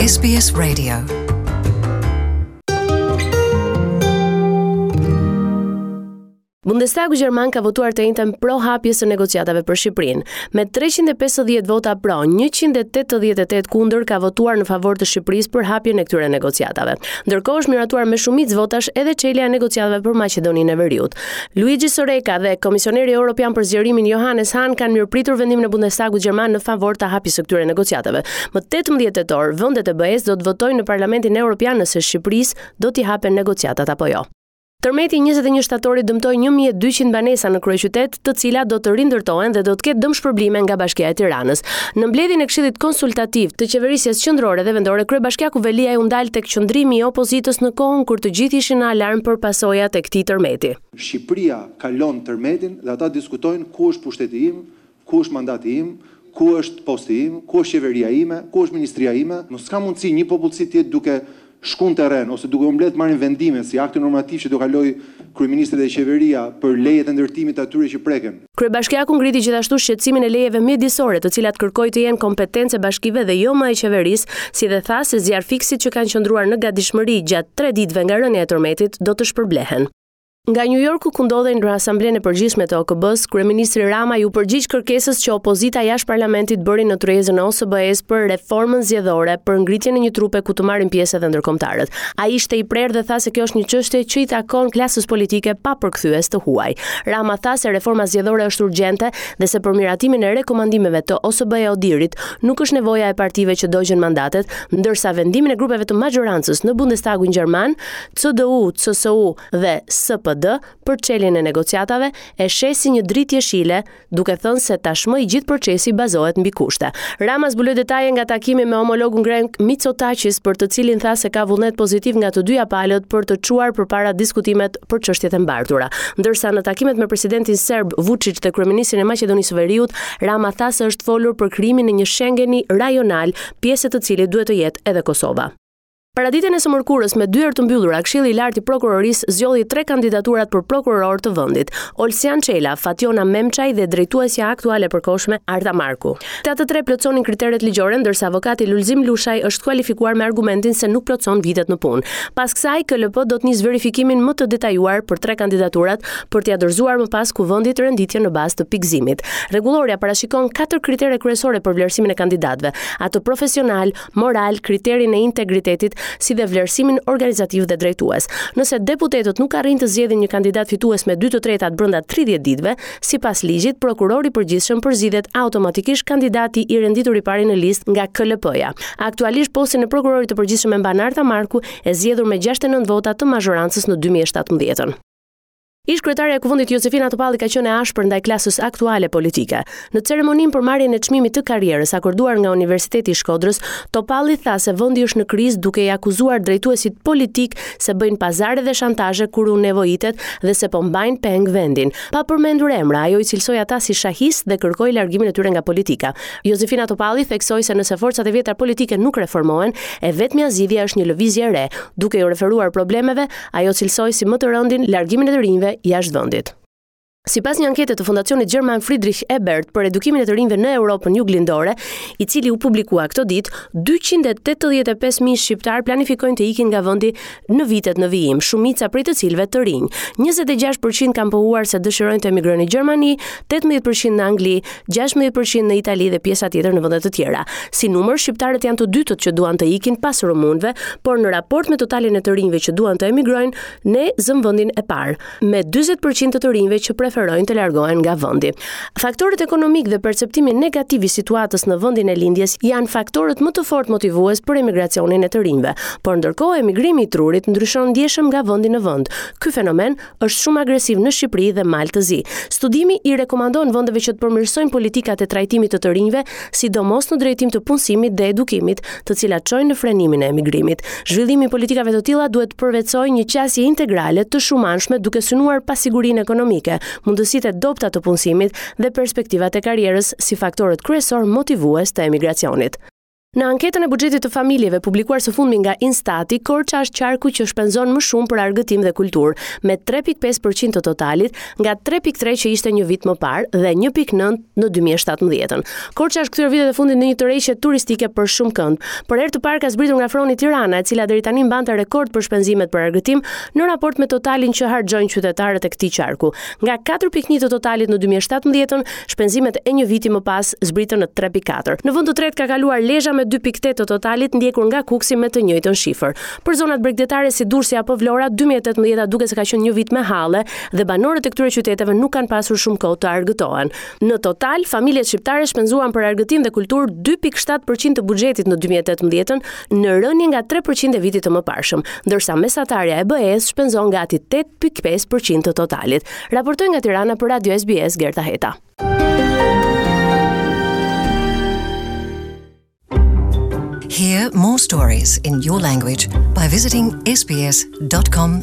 SBS Radio. Bundestagu gjerman ka votuar të enjten pro hapjes së negociatave për Shqipërinë. Me 350 vota pro, 188 kundër ka votuar në favor të Shqipërisë për hapjen e këtyre negociatave. Ndërkohë është miratuar me shumicë votash edhe çelja e negociatave për Maqedoninë e Veriut. Luigi Soreca dhe Komisioneri Europian për Zgjerimin Johannes Hahn kanë mirëpritur vendimin e Bundestagut gjerman në favor të hapjes së këtyre negociatave. Më 18 tetor, vendet e BE-së do të votojnë në Parlamentin Europian nëse Shqipërisë do t'i hapen negociatat apo jo. Tërmeti i 21 shtatorit dëmtoi 1200 banesa në kryeqytet, të cilat do të rindërtohen dhe do të ketë dëmshpërblime nga Bashkia e Tiranës. Në mbledhjen e Këshillit Konsultativ të Qeverisjes Qendrore dhe Vendore, kryebashkiaku Veliaj u ndal tek qëndrimi i opozitës në kohën kur të gjithë ishin në alarm për pasojat e këtij tërmeti. Shqipëria kalon tërmetin dhe ata diskutojnë ku është pushteti im, Ku është mandati im, ku është posti im, ku është qeveria ime, ku është ministria ime? Mos ka mundësi një popullsi të jetë duke shku në terren ose duke u mbledhë të marrin vendime si akti normativ që do kalojë kryeministri dhe qeveria për lejet e ndërtimit të atyre që preken. Kryebashkiaku ngriti gjithashtu shqetësimin e lejeve mjedisore, të cilat kërkoi të jenë kompetencë e bashkive dhe jo më e qeverisë, si dhe tha se zjarrfikësit që kanë qëndruar në gatishmëri gjatë tre ditëve nga rënia e tërmetit do të shpërblehen. Nga New Yorku ku ndodhej në Asamblenë e Përgjithshme të OKB-së, kryeministri Rama iu përgjigj kërkesës që opozita jashtë parlamentit bëri në tryezën e OSBE-së për reformën zgjedhore, për ngritjen e një trupe ku të marrin pjesë edhe ndërkombëtarët. Ai ishte i prerë dhe tha se kjo është një çështje që i takon klasës politike pa përkthyes të huaj. Rama tha se reforma zgjedhore është urgjente dhe se për miratimin e rekomandimeve të OSBE-ODIHR-it nuk është nevoja e partive që dogjën mandatet, ndërsa vendimin e grupeve të maxhorancës në Bundestagun gjerman, CDU, CSU dhe SPD për çeljen e negociatave e sheh si një dritë jeshile, duke thënë se tashmë i gjithë procesi bazohet mbi kushte. Rama zbuloi detaje nga takimi me homologun grek Mitsotakis, për të cilin tha se ka vullnet pozitiv nga të dyja palët për të çuar përpara diskutimet për çështjet e mbartura. Ndërsa në takimet me presidentin serb Vuçiç dhe kryeministrin e Maqedonisë së Veriut, Rama tha se është folur për krijimin e një Schengeni rajonal, pjesë e të cilit duhet të jetë edhe Kosova. Paraditen e së mërkurës me dyer të mbyllura, Këshilli i Lartë i Prokurorisë zgjodhi tre kandidaturat për prokuror të vendit: Olsian Çela, Fatjona Memçaj dhe drejtuesja aktuale e përkohshme Arta Marku. Këta të tre plotësonin kriteret ligjore, ndërsa avokati Lulzim Lushaj është skualifikuar me argumentin se nuk plotëson vitet në punë. Pas kësaj, KLP do të nisë verifikimin më të detajuar për tre kandidaturat për t'ia dorëzuar më pas Kuvendit renditjen në bazë të pikëzimit. Rregullorja parashikon katër kritere kryesore për vlerësimin e kandidatëve, atë profesional, moral, kriterin e integritetit, si dhe vlerësimin organizativ dhe drejtues. Nëse deputetët nuk arrijnë të zgjedhin një kandidat fitues me 2/3 brenda 30 ditëve, sipas ligjit, prokurori i përgjithshëm përzgjidhet automatikisht kandidati i renditur i pari në listë nga KLP-ja. Aktualisht postin e prokurorit të përgjithshëm e mban Arta Marku, e zgjedhur me 69 vota të mazhorancës në 2017-ën. Ish-kryetarja e Kuvendit Jozefina Topalli ka qenë e ashpër ndaj klasës aktuale politike. Në ceremoninë për marrjen e çmimit të karrierës akorduar nga Universiteti i Shkodrës, Topalli tha se vendi është në krizë duke i akuzuar drejtuesit politikë se bëjnë pazare dhe shantazhe kur u nevojitet dhe se po mbajnë peng vendin. Pa përmendur emra, ajo i cilësoi ata si shahistë dhe kërkoi largimin e tyre nga politika. Jozefina Topalli theksoi se nëse forcat e vjetra politike nuk reformohen, e vetmja zgjidhje është një lëvizje e re, duke iu referuar problemeve Ajo cilësoi si më të rëndin largimin e të rinjve jashtë vendit. Sipas një ankete të Fondacionit Gjerman Friedrich Ebert për edukimin e të rinjve në Europën Juglindore, i cili u publikua këto ditë, 285.000 shqiptarë planifikojnë të ikin nga vendi në vitet në vijim, shumica prej të cilëve të rinj. 26% kanë pohuar se dëshirojnë të emigrojnë në Gjermani, 18% në Angli, 16% në Itali dhe pjesa tjetër në vende të tjera. Si numër, shqiptarët janë të dytët që duan të ikin pas rumunëve, por në raport me totalin e të rinjve që duan të emigrojnë, ne zëmë vendin e parë, me 40% të të rinjve që preferojnë të largohen nga vendi. Faktorët ekonomikë dhe perceptimi negativ i situatës në vendin e lindjes janë faktorët më të fortë motivues për emigracionin e të rinjve, por ndërkohë emigrimi i trurit ndryshon ndjeshëm nga vendi në vend. Ky fenomen është shumë agresiv në Shqipëri dhe Mal të Zi. Studimi i rekomandon vendeve që të përmirësojnë politikat e trajtimit të të rinjve, sidomos në drejtim të punësimit dhe edukimit, të cilat çojnë në frenimin e emigrimit. Zhvillimi i politikave të tilla duhet të përvetësojë një qasje integrale të shumanshme duke synuar pasigurinë ekonomike, mundësitë e dobëta të punësimit dhe perspektivat e karrierës si faktorët kryesorë motivues të emigracionit. Në anketën e buxhetit të familjeve publikuar së fundmi nga Instati, Korça është qarku që shpenzon më shumë për argëtim dhe kulturë, me 3.5% të totalit, nga 3.3 që ishte një vit më parë dhe 1.9 në 2017-ën. Korça është kthyer vitet e fundit në një tërheqje turistike për shumëkënd. Për herë të parë ka zbritur nga froni Tirana, e cila deri tani mbante rekord për shpenzimet për argëtim në raport me totalin që harxhojnë qytetarët e këtij qarku. Nga 4.1 të totalit në 2017-ën, Shpenzimet e një viti më pas zbritën në 3.4. Në vend të tretë ka kaluar Lezha me 2.8 të totalit, ndjekur nga Kukësi me të njëjtën shifër. Për zonat bregdetare si Durrësi apo Vlora, 2018-a duket se ka qenë një vit me halle dhe banorët e këtyre qyteteve nuk kanë pasur shumë kohë të argëtohen. Në total, familjet shqiptare shpenzuan për argëtim dhe kulturë 2.7% të buxhetit në 2018-ën, në rënie nga 3% e vitit të mëparshëm, ndërsa mesatarja e BE-së shpenzon gati 8.5% të totalit. Raportoi nga Tirana për Radio SBS Gerta Heta. Hear more stories in your language by visiting sbs.com.au.